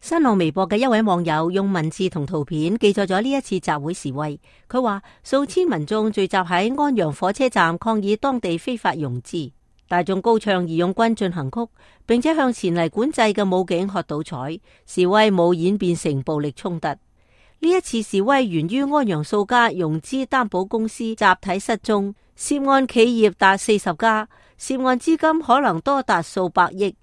新浪微博嘅一位網友用文字同圖片記載咗呢一次集會示威。佢話數千民眾聚集喺安陽火車站抗議當地非法融資，大眾高唱義勇軍進行曲，並且向前嚟管制嘅武警喝倒彩，示威冇演變成暴力衝突。呢一次示威源於安陽數家融資擔保公司集體失蹤，涉案企業達40家，涉案資金可能多達數百億。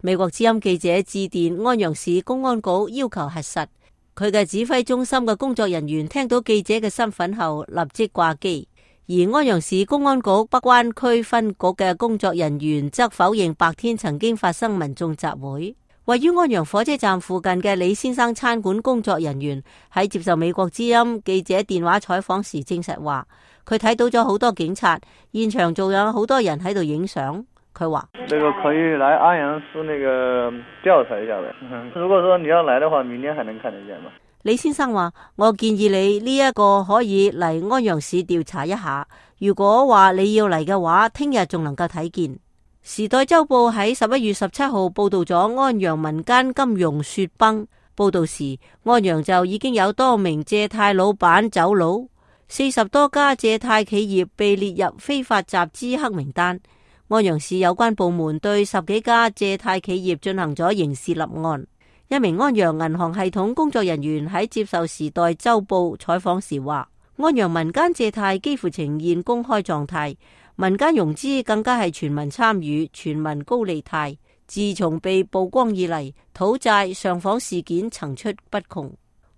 美國之音記者致電安陽市公安局要求核實，佢嘅指揮中心嘅工作人員聽到記者嘅身份後立即掛機，而安陽市公安局北灣區分局嘅工作人員則否認白天曾經發生民眾集會。位於安陽火車站附近嘅李先生餐館工作人員喺接受美國之音記者電話採訪時證實話，佢睇到咗好多警察，現場仲有好多人喺度影相。佢話：這個可以來安陽市那個調查一下的。如果說你要來的話，明天還能看得見嗎？李先生話：我建議你呢一個可以嚟安陽市調查一下。如果話你要嚟嘅話，聽日仲能夠睇見。時代週報喺11月17號報道咗安陽民間金融雪崩。報道時，安陽就已經有多名借貸老闆走佬，40多家借貸企業被列入非法集資黑名單。安陽市有關部門對10幾家借貸企業進行咗刑事立案。一名安陽銀行系統工作人員喺接受時代週報採訪時話：安陽民間借貸幾乎呈現公開狀態，民間融資更加係全民參與、全民高利貸。自從被曝光以嚟，討債上訪事件層出不窮。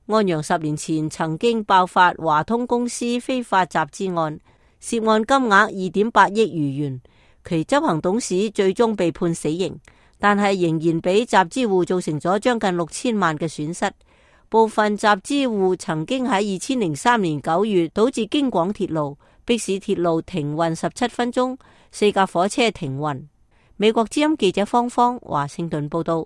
安陽10年前曾經爆發華通公司非法集資案，涉案金額2.8億餘元。其執行董事最終被判死刑，但係仍然俾集資戶造成咗將近6000萬嘅損失。部分集資戶曾經喺2003年9月導致京廣鐵路，迫使鐵路停運17分鐘，4架火車停運。美國之音記者方方華盛頓報道。